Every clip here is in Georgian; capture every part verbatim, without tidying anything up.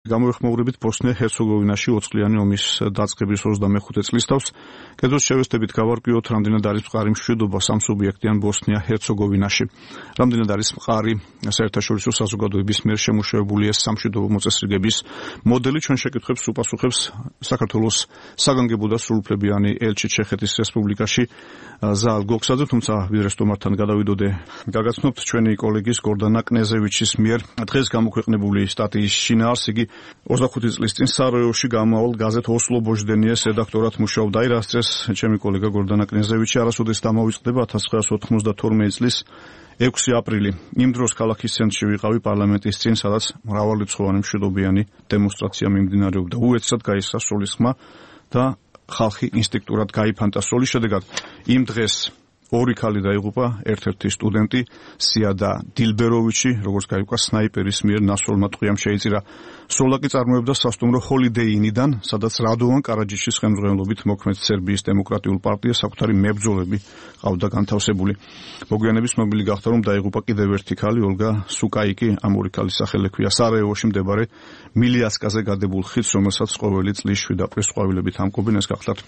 გამოეხმაურებით ბოსნია-ჰერცეგოვინაში ოთხწლიანი ომის დაწყების ოცდამეხუთე წლის თავს კედროს შევესწრებით გავარკვიოთ, რამდენად არის მყარი მშვიდობა სამსუბიექტიან ბოსნია-ჰერცეგოვინაში. Რამდენად არის მყარი საერთაშორისო საზოგადოების მიერ შემუშავებული ეს სამშვიდობო მოწესრიგების მოდელი, ჩვენ შეკითხვებს უპასუხებს საქართველოს საგანგებო და სრულუფლებიანი ელჩი ჩეხეთის რესპუბლიკაში ზაალ გოქსაძე, თუმცა ვიდრე სტუმართან გადავიდოდე, გაგაცნობთ ჩვენი კოლეგის გორდანა კნეზევიჩის მიერ დღეს გამოქვეყნებული სტატიის შინაარს. იგი ოცდახუთი წლის წინ სარაევოში გამავალ გაზეთ ოსლო ბოჟდენიეს რედაქტორად მუშაობდა. აი რას წეს ჩემი კოლეგა გორდანა კნეზევიჩი არასოდეს დამოვიწყდება ათას ცხრაასი ოთხმოცდათორმეტი წლის ექვსი აპრილი. იმ დროს ქალაქის ცენტრში ვიყავი პარლამენტის წინ, სადაც მრავალრიცხოვანი მშვიდობიანი დემონსტრაცია მიმდინარეობდა. უეცრად გაისრა სროლის ხმა და ხალხი ინსტინქტურად გაიფანტა სროლის შედეგად. იმ დღეს ორი ქალი დაიღუპა, ერთ-ერთი სტუდენტი სიადა დილბეროვიჩი, როგორც გაიგო, სნაიპერის მიერ ნასროლმა ტყვიამ შეიწირა. სროლა კი წარმოებდა სასტუმრო ჰოლიდეი ინიდან, სადაც რადოვან კარაჯიშის ხელმძღვანელობით მოქმედ სერბიის დემოკრატიულ პარტიას საკუთარი მებრძოლები ყავდა განთავსებული. მოგვიანებით ცნობილი გახდა, რომ დაიღუპა კიდევ ერთი ქალი, ოლგა სუკაიკი, ამ ორი ქალის სახელი ჰქვია სარაევოში მდებარე მილიასკაზე გადებულ ხიდს, რომელსაც ყოველი წლის შვიდ აპრილს ყვავილებით ამკობენ. ეს გახლავთ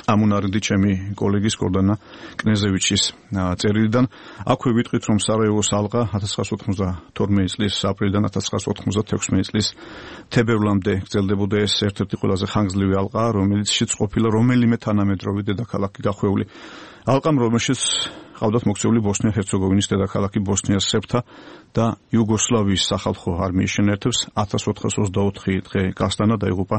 ამუნარიდი ჩემი კოლეგის გორდანა კნეზევიჩის წერილიდან. აქვე ვიტყვით, რომ სარაევოს ალყა ათას ცხრაასი ოცდათორმეტი წლის აპრილიდან ათას ცხრაასი ოთხმოცდათექვსმეტი წლის თებერვლამდე გრძელდებოდა. ეს ერთ-ერთი ყველაზე ხანგრძლივი ალყა, რომელიც შეც ყოფილა რომელიმე თანამედროვე დედაქალაქი გახვეული. ალყამ, რომელშიც ყავდათ მოქცეული ბოსნია-ჰერცეგოვინის დედაქალაქი ბოსნიას სერბთა და იუგოსლავიის სახალხო არმიის შენერთებს ათას ოთხას ოცდაოთხი დღე გასტანა დაიღუპა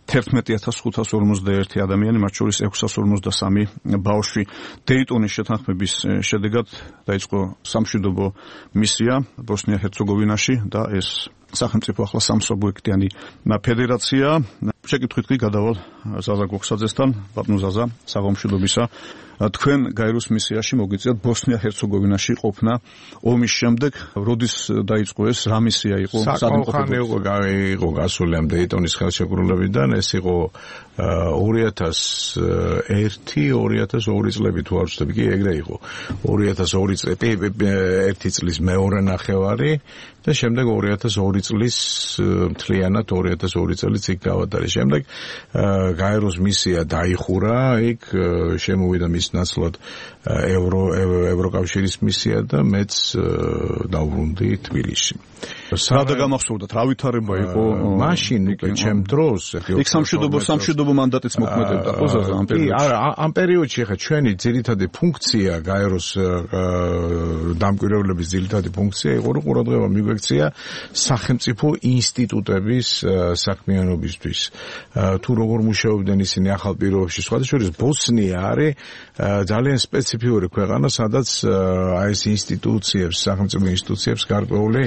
თერთმეტი ათას ხუთას ორმოცდაერთი ადამიანი, მათ შორის ექვსას ორმოცდასამი ბავშვი. დეიტონის შეთანხმების შედეგად დაიწყო სამშვიდობო მისია ბოსნია-ჰერცეგოვინაში და ეს სახელმწიფო ახლა სამსუბიექტიანი ფედერაცია. შეკითხვით კი გადავალ ზაზა გოქსაძესთან. ბატონო ზაზა, საღამოშიდობისა. თქვენ გაეროს მისიაში მოგიწევთ ბოსნია-ჰერცეგოვინაში ყოფნა ომის შემდეგ. როდის დაიწყო ეს? რა მისია იყო? საკმაოდ იყო იყო გასული ამ დეიტონის ხელშეკრულებიდან. ეს იყო ორი ათას ერთი ორი ათას ორი წლები თუ არ ვცდები, კი ეგრე იყო. ორი ათას ორი წელი ერთი წლის მეორე ნახევარი და შემდეგ ორი ათას ორი წლის მთლიანად ორი ათას ორი წელიც იქ გავატარე. შემდეგ გაეროს მისია დაიხურა, იქ შემოვიდა მის ნაცვლად ევრო ევროკავშირის მისია და მეც დავბრუნდი თბილისში. სადა გამახსოვდათ, რა ვითარება იყო მაშინ უკვე ჩემ დროს იქ სამშვიდობო სამშვიდობო მანდატიც მოქმედებდა ხო ზაზა ამ პერიოდში? არა, ამ პერიოდში ხა ჩვენი ძირითადი ფუნქცია გაეროს დამკვირვებლების ძირითადი ფუნქცია იყო, რომ ყურადღება მიგვექცია სახელმწიფო ინსტიტუტების საქმიანობისთვის. თუ როგორ მუშაობდნენ ისინი ახალ პირობებში, სხვადასხვა ბოსნია არის ძალიან სპეციფიური ქვეყანა, სადაც აი ეს ინსტიტუციებს, სახელმწიფო ინსტიტუციებს გარკვეული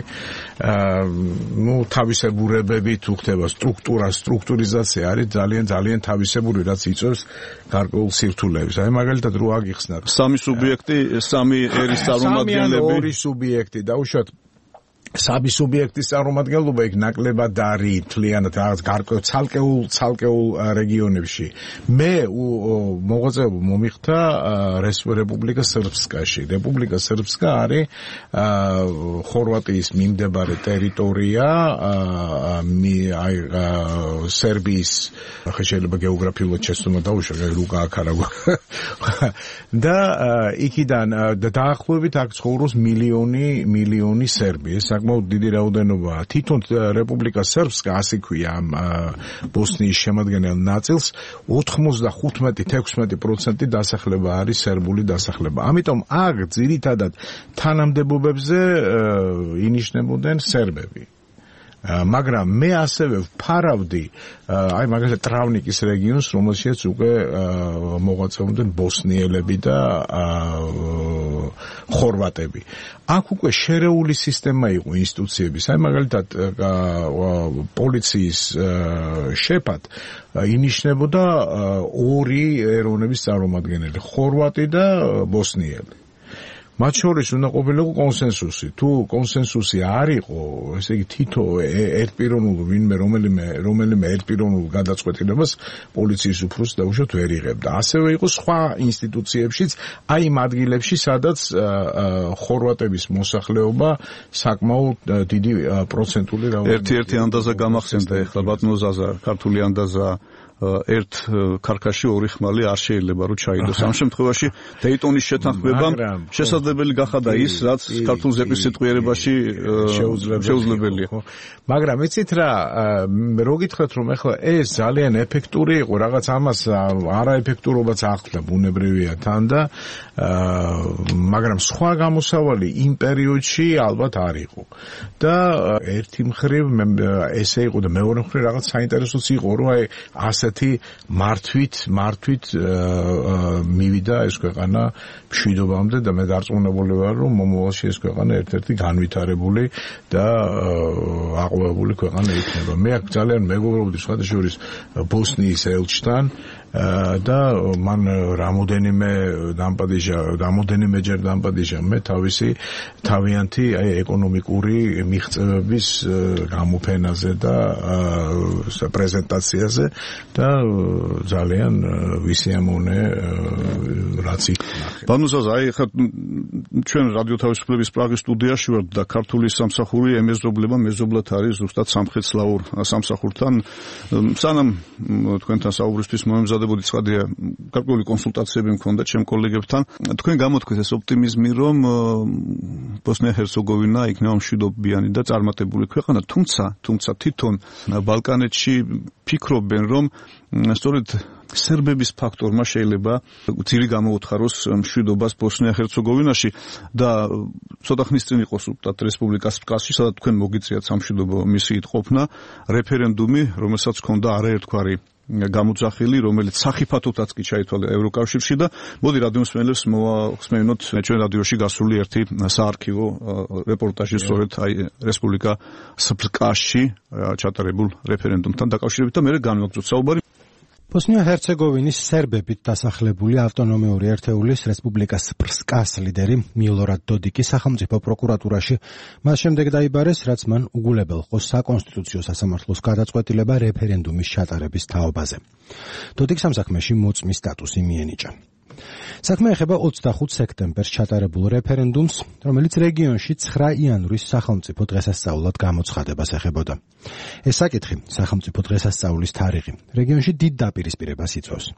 ну თავისებურებები თუ ხდება სტრუქტურა, სტრუქტურიზაცია არის ძალიან ძალიან თავისებური, რაც იწვევს გარკვეულ სირთულეებს. აი მაგალითად რო აგიხსნათ სამი სუბიექტი, სამი ერის წარმომადგენლები, ორი სუბიექტი დაუშვათ სამი სუბიექტის წარმომადგენლობა იქ ნაკლებად არის თლიანად რაღაც გარკვეულ ცალკეულ ცალკეულ რეგიონებში. მე მოღვაწეობა მომიხდა რესპუბლიკა სერბსკაში. რესპუბლიკა სერბსკა არის ხორვატიის მიმდებარე ტერიტორია, აი სერბიის ახლა შეიძლება გეოგრაფიულად შეცდომა დაუშვათ, რუკა აქარაგვა. და იქიდან დაახლოებით აქ ცხოვრობს მილიონი მილიონი სერბი. საკმაოდ დიდი რაოდენობაა. თვითონ რესპუბლიკა სერბსკა ასე ქვია ამ ბოსნიის შემადგენელ ნაწილს ოთხმოცდახუთმეტი ექვსმეტი პროცენტი დასახლება არის სერბული დასახლება. ამიტომ აქ ძირითადად თანამდებობებზე ინიშნებოდნენ სერბები. მაგრამ მე ასევე ვფარავდი აი მაგალითად ტრავნიკის რეგიონს, რომელშიც უკვე მოღვაწეობდნენ ბოსნიელები და ხორვატები. აქ უკვე შერეული სისტემა იყო ინსტიტუციების. აი მაგალითად პოლიციის შეფად ინიშნებოდა ორი ეროვნების წარმომადგენელი, ხორვატი და ბოსნიელი. მათ შორის უნდა ყოფილიყო კონსენსუსი. თუ კონსენსუსი არ იყო, ესე იგი თითო ერთპიროვნულ ვინმე რომელიმე რომელიმე ერთპიროვნულ გადაწყვეტილებას პოლიციის უფროსი დაუშვათ ვერ იღებდა. ასევე იყო სხვა ინსტიტუციებშიც, აი იმ ადგილებში, სადაც ხორვატების მოსახლეობა საკმაოდ დიდი პროცენტული რაოდენობით. ერთი-ერთი ანდაზა გამახსენდა ეხლა ბატონო ზაზა, ქართული ანდაზა ერთ ქარქაში ორი ხმალი არ შეიძლება რომ ჩაიდოს. ამ შემთხვევაში დეიტონის შეთანხმებამ შესაძლებელი გახადა ის, რაც ქართულ ზეპის სიტყვიერებაში შეუძლებელია. მაგრამ იცით რა, რო გითხრათ რომ ეხლა ეს ძალიან ეფექტური იყო, რაღაც ამას არაეფექტურობაც ახლდა ბუნებრივია თან და მაგრამ სხვა გამოსავალი იმ პერიოდში ალბათ არ იყო. და ერთი მხრივ ესე იყო და მეორე მხრივ რაღაც საინტერესოც იყო, რომ აი ასეთი მართვით, მართვით მივიდა ეს ქვეყანა მშვიდობამდე და მე დარწმუნებული ვარ, რომ მომავალში ეს ქვეყანა ერთ-ერთი განვითარებული და აყვავებული ქვეყანა იქნება. მე აქ ძალიან მეგობრობდი სხვათა შორის ბოსნიის ელჩთან და მან რამოდენიმე დამპადიჟა, რამოდენიმეჯერ დამპადიჟა მე თავისი თავიანთი აი ეკონომიკური მიღწევების გამოფენაზე და პრეზენტაციაზე და ძალიან ვისიამოვნე რაც იქნა. ბანუზაზა, აი ხა ჩვენ რადიო თავისუფლების პრაღის სტუდიაში ვართ და ქართული სამსახური ემეზობლება მეზობლად არის ზუსტად სამხედროურ სამსახურთან. სანამ თქვენთან საუბრისთვის მომემზადებოდი ცხადია, გარკვეული კონსულტაციები მქონდა ჩემ კოლეგებთან. თქვენ გამოთქვით ეს ოპტიმიზმი, რომ ბოსნია-ჰერცეგოვინა იქნება მშვიდობიანი და წარმატებული ქვეყანა, თუმცა, თუმცა თვითონ ბალკანეთში ფიქრობენ, რომ სწორედ სერბების ფაქტორმა შეიძლება ძირი გამოუთხაროს მშვიდობას ბოსნია-ჰერცეგოვინაში და ცოტა ხნის წინ იყო სულტად რესპუბლიკას სპკასში, სადაც თქვენ მოგიწიათ სამშვიდობო მისიით ყოფნა, რეფერენდუმი, რომელსაც ჰქონდა არაერთგვარი გამოძახილი, რომელიც სახიფათოთაც კი ჩაითვალა ევროკავშირში და მოდი რადიო მსმენელებს მოვახსენოთ ჩვენ რადიოში გასული ერთი საარქივო რეპორტაჟი სწორედ აი რესპუბლიკა სპკასში ჩატარებულ რეფერენდუმთან დაკავშირებით და მე განვაგრძოთ საუბარი. ბოსნია-ჰერცეგოვინის სერბებით დასახლებული ავტონომიური ერთეულის რესპუბლიკა სპკას ლიდერი მილორად დოდიკი სახელმწიფო პროკურატურაში მას შემდეგ დაიბარეს, რაც მან უგულებელ ყო საკონსტიტუციო სასამართლოს გადაწყვეტილება რეფერენდუმის ჩატარების თაობაზე. დოდიკს ამ საქმეში მოწმის სტატუსი მიენიჭა. საქმე ეხება ოცდახუთ სექტემბერს ჩატარებულ რეფერენდუმს, რომელიც რეგიონში ცხრა იანვრის სახელმწიფო დღესასწაულად გამოცხადებას ეხებოდა. ეს საკითხი, სახელმწიფო დღესასწაულის თარიღი, რეგიონში დიდ დაპირისპირებას იწვევს.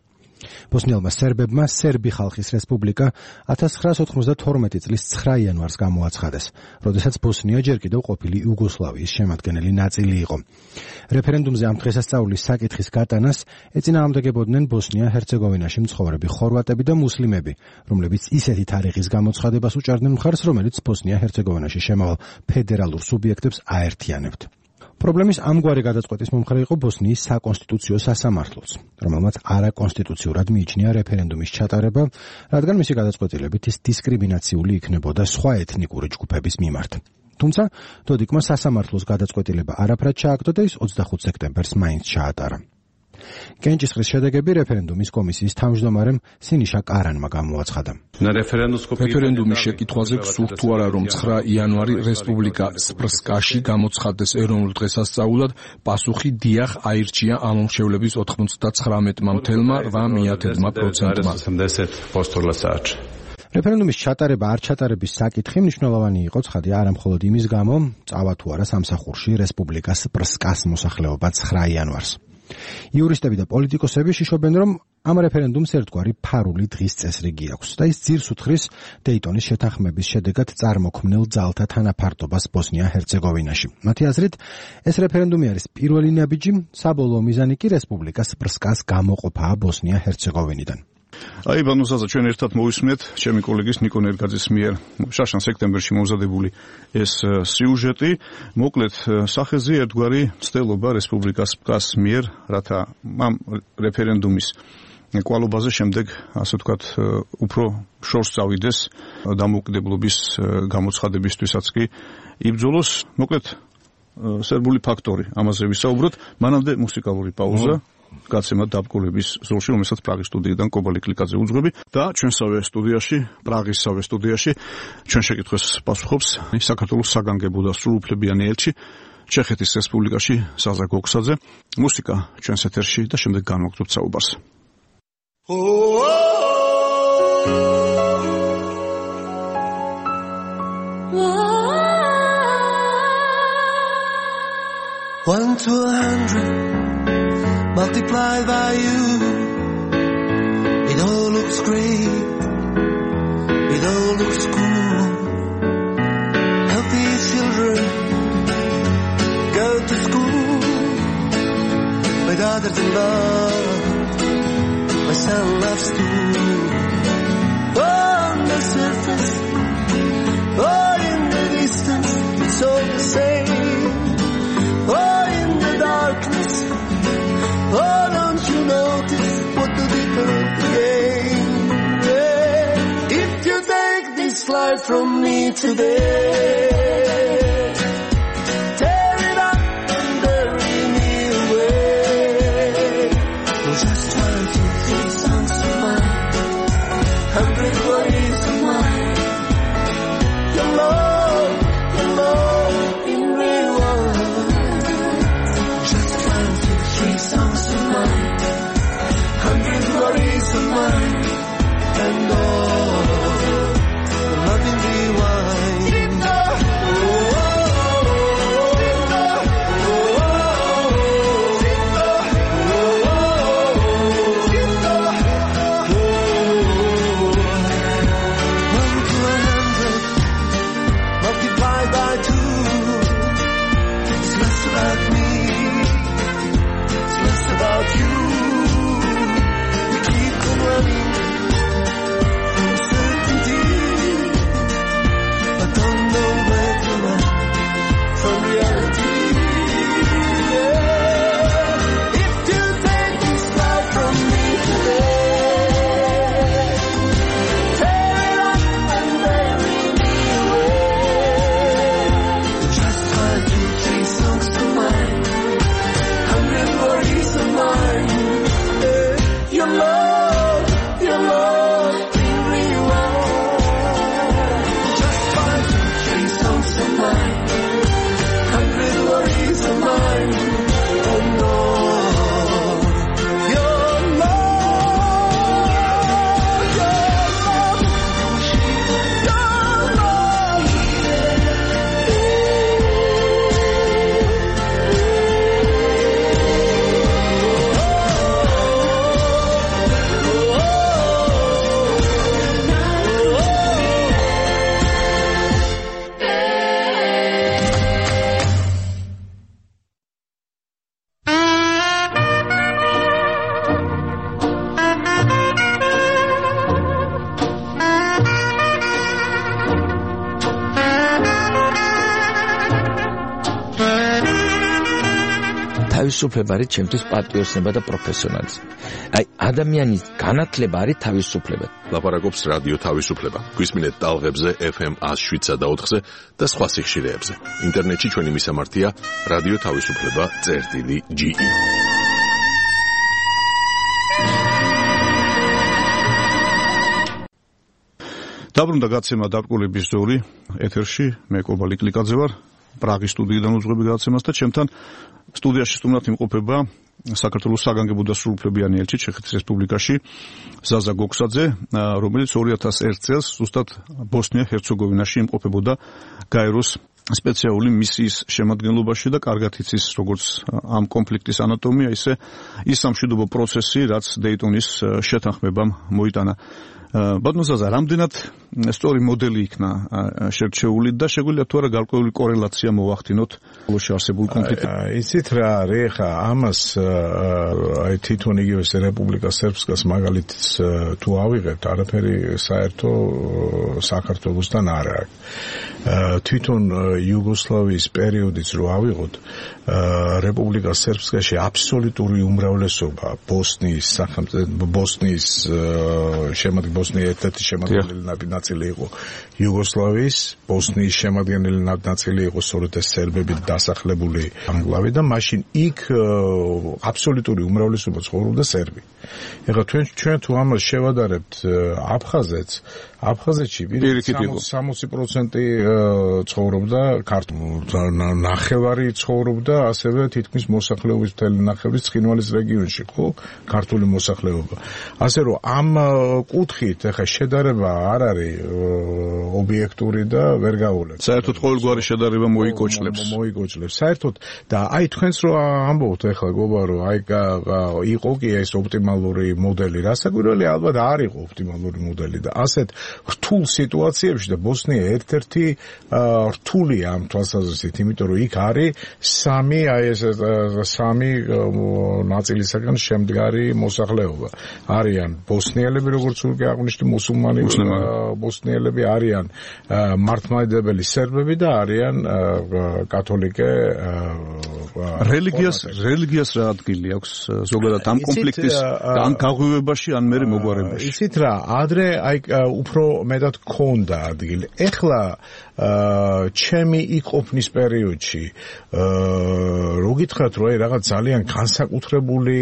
ბოსნიელმა სერბებმა სერბი ხალხის რესპუბლიკა ათას ცხრაას ოცდათორმეტი წლის ცხრა იანვარს გამოაცხადეს, როდესაც ბოსნია ჯერ კიდევ ყოფილი იუგოსლავიის შემადგენელი ნაწილი იყო. რეფერენდუმზე ამ დღესასწაულის საკითხის გატანას ეწინააღმდეგებოდნენ ბოსნია-ჰერცეგოვინაში მცხოვრები ხორვატები და მუსლიმები, რომლებიც ისეთი თარიღის გამოცხადებას უჭერდნენ მხარს, რომელიც ბოსნია-ჰერცეგოვინაში შემავალ ფედერალურ სუბიექტებს აერთიანებთ. პრობლემის ამგვარი გადაწყვეტის მომხრე იყო ბოსნიის საკონსტიტუციო სასამართლოც, რომელმაც არაკონსტიტუციურად მიიჩნია რეფერენდუმის ჩატარება, რადგან მისი გადაწყვეტილებით ის დისკრიმინაციული იქნებოდა სხვა ეთნიკური ჯგუფების მიმართ. თუმცა დოდიკმა სასამართლოს გადაწყვეტილება არაფრად ჩააგდო და ის ოცდახუთ სექტემბერს მაინც ჩაატარა. კენჭისყრის შედეგები რეფერენდუმის კომისიის თავმჯდომარემ სინიშა კარანმა გამოაცხადა. რეფერენდუმის შეკითხვაზე გსურთ თუ არა, რომ ცხრა იანვარი რესპუბლიკა სპკასში გამოცხადდეს ეროვნულ დღესასწაულად, პასუხი დიახ აირჩია ამომრჩევლების ოთხმოცდაცხრამეტმა მთელმა რვა მიათედმა პროცენტმა. რეფერენდუმის ჩატარება არ ჩატარების საკითხი მნიშვნელოვანი იყო ცხადია არა მხოლოდ იმის გამო, წავა თუ არა სამსახურში რესპუბლიკა სპკას მოსახლეობა ცხრა იანვარს. იურისტები და პოლიტიკოსები შიშობენ, რომ ამ რეფერენდუმს ერთგვარი ფარული დღის წესრიგი აქვს და ის ძირს უთხრის დეიტონის შეთანხმების შედეგად წარმოქმნილ ძალთა თანაფარდობას ბოსნია-ჰერცეგოვინაში. მათი აზრით, ეს რეფერენდუმი არის პირველი ნაბიჯი, საბოლოო მიზანი კი რესპუბლიკა სპკას გამოყოფაა ბოსნია-ჰერცეგოვინიდან. აი ბანუზაზა, ჩვენ ერთად მოვისმენთ ჩემი კოლეგის ნიკო ნერგაძის მიერ შაშან სექტემბერში მომზადებული ეს სიუჟეტი. მოკლედ სახეზე ერთგვარი ცდელობა რესპუბლიკა სპკას მიერ, რათა ამ რეფერენდუმის კვალობაზე შემდეგ, ასე ვთქვათ, უფრო შორს წავიდეს დამოუკიდებლობის გამოცხადებისთვისაც კი იბრძოლოს. მოკლედ სერბული ფაქტორი, ამაზე ვისაუბროთ. მანამდე მუსიკალური პაუზა. გაცემა დაბრკოლების ზოლში, რომელსაც პრაღის სტუდიიდან კობა ლიკლიკაძე უძღვები და ჩვენსავე სტუდიაში, პრაღისსავე სტუდიაში ჩვენ შეკითხვას პასუხობს საქართველოს საგანგებო და სრულუფლებიანი ელჩი ჩეხეთის რესპუბლიკაში ზაზა გოქსაძე. მუსიკა ჩვენს ეთერში და შემდეგ განვაგრძობთ საუბარს. One to a hundred multiplied by you, it all looks great, it all looks cool. Healthy children go to school, my daughter's in love, my son loves too. On the surface, or in the distance, it's all the same. Oh, in the darkness, oh, don't you notice what the difference again? Yeah. If you take this life from me today, tear it up and bury me away. You're just one, two, three songs of mine, hundred worries of mine. Your love, your love in real world. Songs of mine, hundred worries of mine, and all the loving rewind. One to a hundred, multiplied by two, it's less about me. About you, we keep on running from certainty, but don't know where to run from reality. Yeah. If you take this life from me today, tear it up and bury me away. Just one, two, three songs to mine, hundred worries of mine. Your love, your love, in real world. Just five, two, three songs of mine, hundred worries of mine. Oh no, your love, your love, your love. თავისუფლება არის ჩემთვის პატრიოტიზმი და პროფესიონალიზმი. აი, ადამიანის განათლება არის თავისუფლება. ლაპარაკობს რადიო თავისუფლება. გვისმინეთ ტალღებზე ეფ ემ one oh seven და four და სხვა სიხშირეებზე. ინტერნეტში ჩვენი მისამართია რადიო თავისუფლება წერტილი ჯი ი. დაბრუნდა გაცემა დაბრკოლების ზოლი ეთერში, მე კობა ლიკლიკაძე ვარ, პრაღის სტუდიიდან უძღვები გაცემას და ჩემთან სტუდიაში სტუმრად იმყოფება საქართველოს საგანგებო და სრულუფლებიანი ელჩი ჩეხეთის რესპუბლიკაში ზაზა გოქსაძე, რომელიც two thousand one წელს ზუსტად ბოსნია-ჰერცეგოვინაში იმყოფებოდა გაეროს სპეციალური მისიის შემადგენლობაში და კარგად იცის როგორც ამ კონფლიქტის ანატომია, ისე ის სამშვიდობო პროცესი, რაც დეიტონის შეთანხმებამ მოიტანა. ბატონო ზაზა, რამდენად სწორი მოდელი იქნა შერჩეული და შეგვიძლია თუ არა გარკვეული კორელაცია მოვახდინოთ ბოლოში არსებულ კონფლიქტთან? იცით რა არის, ხა ამას აი თვითონ იგივე რესპუბლიკა სერბსკას მაგალითს თუ ავიღებთ, არაფერი საერთო საქართველოსთან არ აქვს. თვითონ იუგოსლავიის პერიოდიც რო ავიღოთ, რესპუბლიკა სერბსკაში აბსოლუტური უმრავლესობა ბოსნიის სახელმწიფო ბოსნიის შემადგენლობაში ბოსნია ერთ-ერთი შემადგენელი ნაწილი იყო იუგოსლავიის, ბოსნიის შემადგენელი ნაწილი იყო სწორედ ეს სერბებით დასახლებული ამგლავი და მაშინ იქ აბსოლუტური უმრავლესობა ცხოვრობდა სერბი. ეხლა თქვენ ჩვენ თუ ამას შევადარებთ აფხაზეთს, აფხაზეთში სამოცი პროცენტი ცხოვრობდა ქართული, ნახევარი ცხოვრობდა ასევე თითქმის მოსახლეობის მთელი ნახევრის ცხინვალის რეგიონში, ხო, ქართული მოსახლეობა. ასე რომ ამ კუთხით ეხლა შედარება არ არის ობიექტური და ვერ გავულებს. საერთოდ ყოველგვარი შედარება მოიკოჭლებს. მოიკოჭლებს. საერთოდ და აი თქვენს რო ამბობთ ეხლა გობა რომ აი იყო კი ეს ოპტიმალური მოდელი, რასაკვირველია ალბათ არ იყო ოპტიმალური მოდელი და ასეთ რთულ სიტუაციებში და ბოსნია ერთ-ერთი რთულია ამ თვალსაზრისით, იმიტომ რომ იქ არის სამი აი ეს სამი ნაწილისაგან შემდგარი მოსახლეობა. არიან ბოსნიელები, როგორც უკვე აღნიშნე, მუსულმანი ბოსნიელები, არიან მართლმადიდებელი სერბები და არიან კათოლიკე რელიგიას რელიგიას რა ადგილი აქვს ზოგადად ამ კონფლიქტის ან გაღვივებაში ან მერე მოგვარებაში? იცით რა, ადრე აი უფრო მეტად ქონდა ადგილი. ეხლა ჩემი იქ ყოფნის პერიოდში რო გითხრათ რომ აი რაღაც ძალიან განსაკუთრებული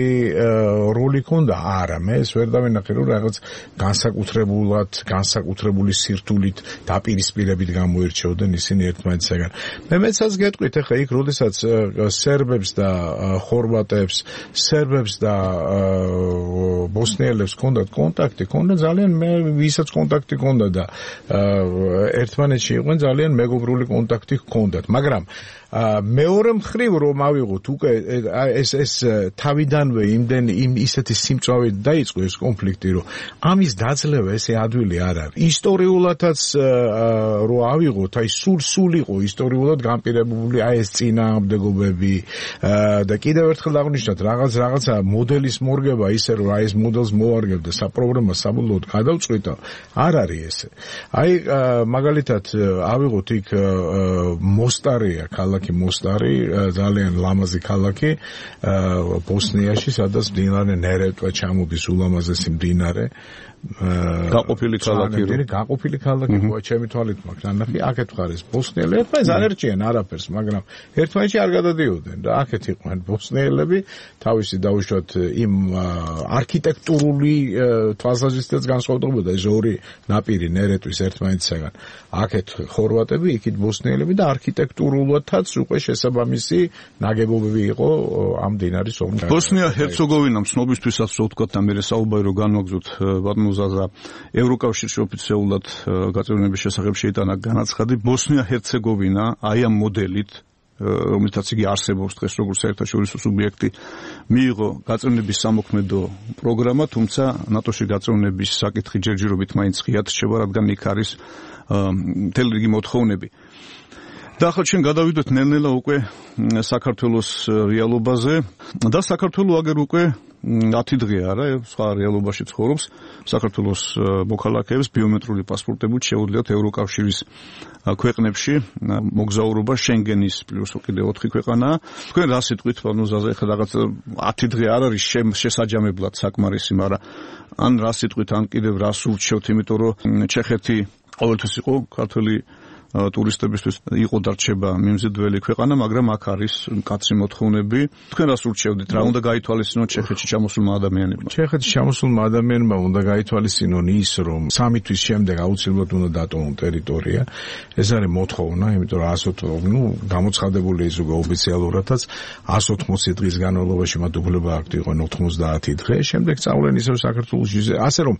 როლი ქონდა, არა, მე ეს ვერ დავინახე რომ რაღაც განსაკუთრებულად, განსაკუთრებული სირთულით დაპირისპირებით გამოირჩეოდნენ ისინი ერთმანეთისგან. მე მეცაც გეტყვით ეხლა იქ როდესაც სერბებს და ხორვატებს, სერბებს და ბოსნიელებს ჰქონდათ კონტაქტი, ჰქონდა ძალიან მე ვისაც კონტაქტი ჰქონდა და ერთმანეთში იყვნენ ძალიან მეგობრული კონტაქტი ჰქონდათ, მაგრამ მეორე მხრივ რომ ავიღოთ უკვე ეს ეს თავიდანვე იმდენ იმ ისეთი სიმწვავე დაიწყო ეს კონფლიქტი, რომ ამის დაძლევა ესე ადვილი არ არის. ისტორიულადაც რო ავიღოთ, აი სულ სულ იყო ისტორიულად განპირობებული აი ეს წინააღმდეგობები და კიდევ ერთხელ აღნიშნოთ რაღაც რაღაცა მოდელის მორგება ისე რომ აი ეს მოდელს მოარგებდა საპრობლემო საბოლოოდ გადავწყვიტა, არ არის ესე. აი მაგალითად ავიღოთ იქ მოსტარია ქალაქი მოსტარი, ძალიან ლამაზი ქალაქი ბოსნიაში, სადაც მდინარე ნერეტვა ჩამოდის, ულამაზესი მდინარე. გაყოფილი ქალაქი რო გაყოფილი ქალაქი ხო ჩემი თვალით მაქვს ანახი აქეთ ხარეს ბოსნიელები ერთმანეთს არ ერჩიან არაფერს, მაგრამ ერთმანეთში არ გადადიოდნენ და აქეთ იყვნენ ბოსნიელები თავისი დაუშვათ იმ არქიტექტურული თვალსაზრისითაც განსხვავდებოდა ეს ორი ნაპირი ნერეტვის ერთმანეთისგან. აქეთ ხორვატები, იქით ბოსნიელები და არქიტექტურულადაც უკვე შესაბამისი ნაგებობები იყო ამ მდინარის ომში. ბოსნია ჰერცეგოვინამ ცნობისთვისაც რო ვთქვათ და მე საუბარი რო განვაგზოთ ზაზა ევროკავშირში ოფიციალურად გაწევრიანების შესახებ შეიტანა განაცხადი. ბოსნია ჰერცეგოვინა აი ამ მოდელით, რომელთაც იგი არსებობს დღეს როგორც საერთაშორისო სუბიექტი, მიიღო გაწევრიანების სამოქმედო პროგრამა, თუმცა ნატოში გაწევრიანების საკითხი ჯერჯერობით მაინც ღიად რჩება, რადგან იქ არის მთელი რიგი მოთხოვნები. და ახლა ჩვენ გადავიდოთ ნელ-ნელა უკვე საქართველოს რეალობაზე და საქართველო აგერ უკვე ათი დღეა რა, სხვა რეალობაში ცხოვრობს. საქართველოს მოქალაქეებს ბიომეტრიული პასპორტებით შეუძლიათ ევროკავშირის ქვეყნებში მოგზაურობა, შენგენის პლუს კიდე ოთხი ქვეყანაა. თქვენ რა სიტყვით პანუზაზე ახლა რაღაც ათი დღე არ არის შესაჯამებლად საკმარისი, მაგრამ ან რა სიტყვით ან კიდევ რას ურჩევთ, იმიტომ რომ ჩეხეთი ყოველთვის იყო ქართული ტურისტებისთვის იყო დარჩება მიმზიდველი ქვეყანა, მაგრამ აქ არის მკაცრი მოთხოვნები. თქვენ რას ურჩევდით, რა უნდა გაითვალისწინოთ ჩეხეთში ჩამოსულმა ადამიანებმა? ჩეხეთში ჩამოსულმა ადამიანებმა უნდა გაითვალისწინონ ის, რომ სამი თვის შემდეგ აუცილებლად უნდა დატოვონ ტერიტორია. ეს არის მოთხოვნა, იმიტომ რომ ასო ნუ გამოცხადებული ის უკვე ოფიციალურადაც εκατს ოთხმოცი დღის განმავლობაში მათ უფლება აქვთ იყვნენ ოთხმოცდაათი დღე, შემდეგ წავლენ ისევ საქართველოში. ასე რომ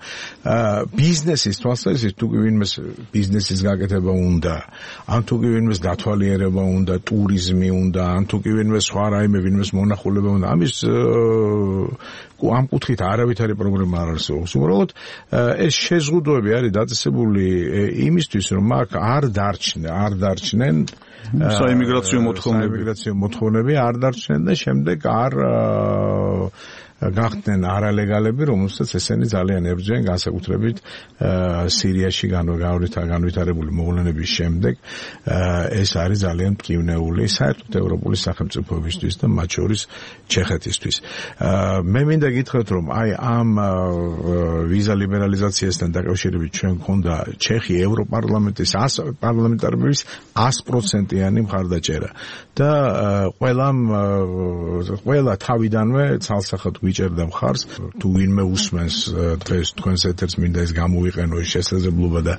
ბიზნესის თვალსაზრისით თუ ვინმეს ბიზნესის გაკეთება უნდა, ან თუ კი ვინმეს დათვალიერება უნდა, ტურიზმი უნდა, ან თუ კი ვინმეს სხვა რაიმე ვინმეს მონახულება უნდა, ამის ამ კუთხით არავითარი პრობლემა არ არსებობს. უბრალოდ ეს შეზღუდვები არის დაწესებული იმისთვის, რომ აქ არ დარჩნენ, არ დარჩნენ საიმიგრაციო მოთხოვნები, საიმიგრაციო მოთხოვნები არ დარჩნენ და შემდეგ არ გახდნენ არალეგალები, რომელსაც ესენი ძალიან ებრძვიან, განსაკუთრებით სირიაში განვითარებული მოვლენების შემდეგ. ეს არის ძალიან მტკივნეული საერთოდ ევროპული სახელმწიფოებისთვის და მათ შორის ჩეხეთისთვის. მე მინდა გითხრათ, რომ აი ამ ვიზა ლიბერალიზაციასთან დაკავშირებით ჩვენ გქონდა ჩეხი ევროპარლამენტის პარლამენტარების one hundred percent-იანი მხარდაჭერა და ყველამ ყველა თავიდანვე ცალსახად გვიჭერდა მხარს. თუ ვინმე უსმენს დღეს თქვენს ეთერს, მინდა ეს გამოვიყენო ეს შესაძლებლობა და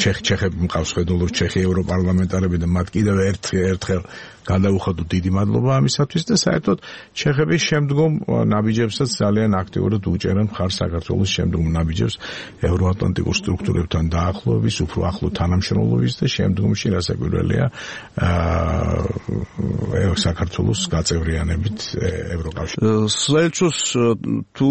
ჩეხები მყავს ხედავ ჩეხი ევროპარლამენტარები და მათ კიდევ ერთხელ გადაუხადოთ დიდი მადლობა ამისათვის და საერთოდ ჩეხების შემდგომ ნაბიჯებსაც ძალიან აქტიურად უჭერენ მხარს საქართველოს შემდგომ ნაბიჯებს ევროატლანტიკურ სტრუქტურებთან დაახლოების, უფრო ახლო თანამშრომლობის და შემდგომში რასაკვირველია საქართველოს გაწევრიანებით ევროკავშირში. საერთოდ თუ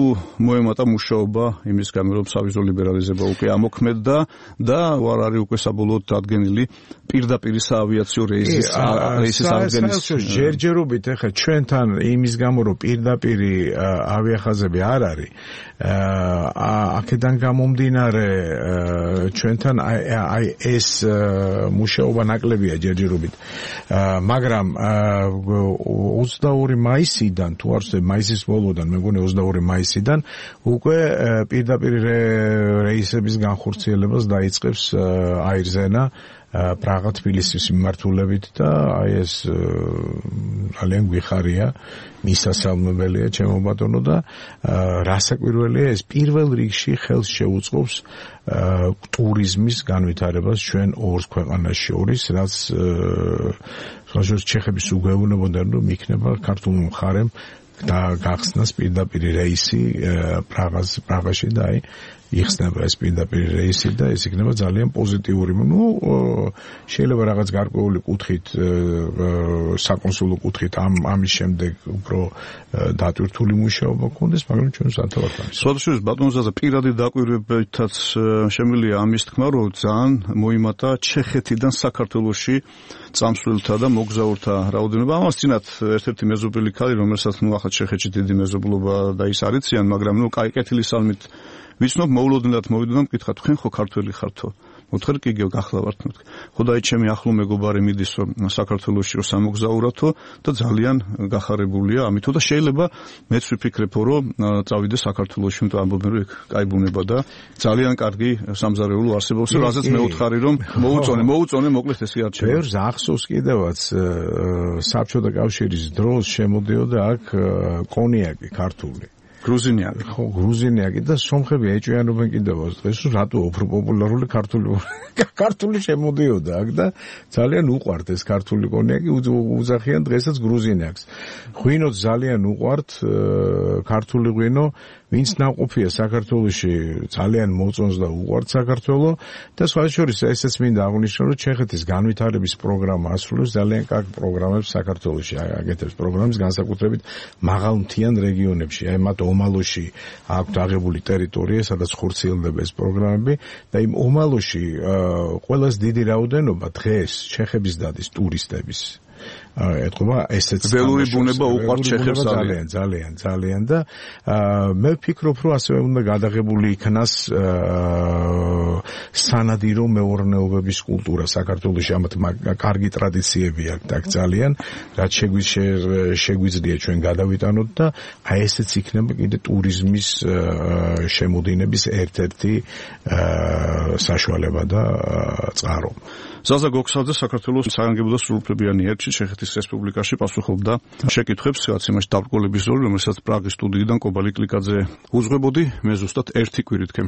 მოემატა მუშაობა იმის გამო რომ სავიზო ლიბერალიზება უკვე ამოქმედდა და არ არის უკვე საბოლოოდ დადგენილი პირდაპირ საავიაციო რეისის რეისის საერთოდ ჯერჯერობით ახლა ჩვენთან იმის გამო რომ პირდაპირ ავიახაზები არ არის აქედან გამომდინარე ჩვენთან აი ეს მუშაობა ნაკლებია ჯერჯერობით მაგრამ ოცდაორი მაისიდან თუ არ ვცდები მაისის ბოლოდან მე მგონი ოცდაორი მაისიდან უკვე პირდაპირ რეისების განხორციელებას დაიწყებს აირზენა პრაღა თბილისის მიმართულებით და აი ეს ძალიან გვიხარია მისასალმებელია ჩემო ბატონო და რასაკვირველია ეს პირველ რიგში ხელს შეუწყობს ტურიზმის განვითარებას ჩვენ ორ ქვეყანას შორის რაც სხვაშორის ჩეხების უგეუბნებოდნენ რომ იქნება ქართულ მხარემ და გახსნას პირდაპირ რეისი პრაღას პრაღაში და აი იხსნება ეს პირდაპირ რეისი და ეს იქნება ძალიან პოზიტიური. ნუ შეიძლება რაღაც გარკვეული კუთხით საკონსულო კუთხით ამ ამის შემდეგ უფრო დატვირთული მუშაობა გქონდეს, მაგრამ ჩვენ სათავად ამის. სხვადასხვა ბატონზადა პირადი დაკვირვებითაც შემიძლია ამის თქმა, რომ ძალიან მოიმატა ჩეხეთიდან საქართველოში წამსვლელთა და მოგზაურთა რაოდენობა. ამას წინათ ერთ-ერთი მეზობელი ქალი, რომელსაც ნუ ახლა ჩეხეთში დიდი მეზობლობა და ის არიციან, მაგრამ ნუ კაი კეთილი სალმით ვიცნობ მოულოდნელად მოვიდა მკითხა თქვენ ხო ქართველი ხართო? მოთხარ კი გიო გახლავართ მეთქი. ხო და აი ჩემი ახლო მეგობარი მიდის რომ საქართველოში რომ სამოგზაურათო და ძალიან გახარებულია ამითო და შეიძლება მეც ვიფიქრებო რომ წავიდე საქართველოში, იმიტომ ამბობენ რომ იქ კაი ბუნება და ძალიან კარგი სამზარეულო არსებობს, რაზეც მე ვუთხარი რომ მოუწონე, მოუწონე მოკლედ ესე არჩევა. ბევრს ახსოვს კიდევაც საბჭოთა კავშირის დროს შემოდიოდა აქ კონიაკი ქართული. გრუზინიაკი. ხო, გრუზინიაკი და სომხები ეჭვიანობენ კიდევაც დღეს რომ რატო უფრო პოპულარული ქართული ქართული შემოდიოდა აქ და ძალიან უყვართ ეს ქართული კონიაკი უძახიან დღესაც გრუზინიაკს. ღვინოც ძალიან უყვართ ქართული ღვინო ვინც ნაყოფია საქართველოში ძალიან მოწონს და უყვართ საქართველო და სხვა შორის ესეც მინდა აღვნიშნო რომ ჩეხეთის განვითარების პროგრამა ასრულებს ძალიან კარგ პროგრამებს საქართველოში აკეთებს პროგრამის განსაკუთრებით მაღალმთიან რეგიონებში აი მათ ომალოში აქვთ აღებული ტერიტორია სადაც ხორციელდება ეს პროგრამები და იმ ომალოში ყველაზე დიდი რაოდენობა დღეს ჩეხების დადის ტურისტების ეთქობა ესეც ველური ბუნება უყვართ ჩეხებს ძალიან ძალიან ძალიან და მე ვფიქრობ რომ ასევე უნდა გადაღებული იქნას სანადირო მეურნეობების კულტურა საქართველოში ამათ კარგი ტრადიციები აქვს აქ ძალიან რაც შეგვიძლია ჩვენ გადავიტანოთ და აი ესეც იქნება კიდე ტურიზმის შემოდინების ერთ-ერთი საშუალება და წყარო. ზაზა გოქსალძე საქართველოს საგანგებო და სრულუფლებიანი ერთში ჩეხეთის რესპუბლიკაში პასუხობდა შეკითხვებს, რაც იმაში დაბრკოლების როლი, რომელსაც პრაღის სტუდიიდან კობალი კლიკაძე უძღვებოდი, მე ზუსტად ერთი კვირით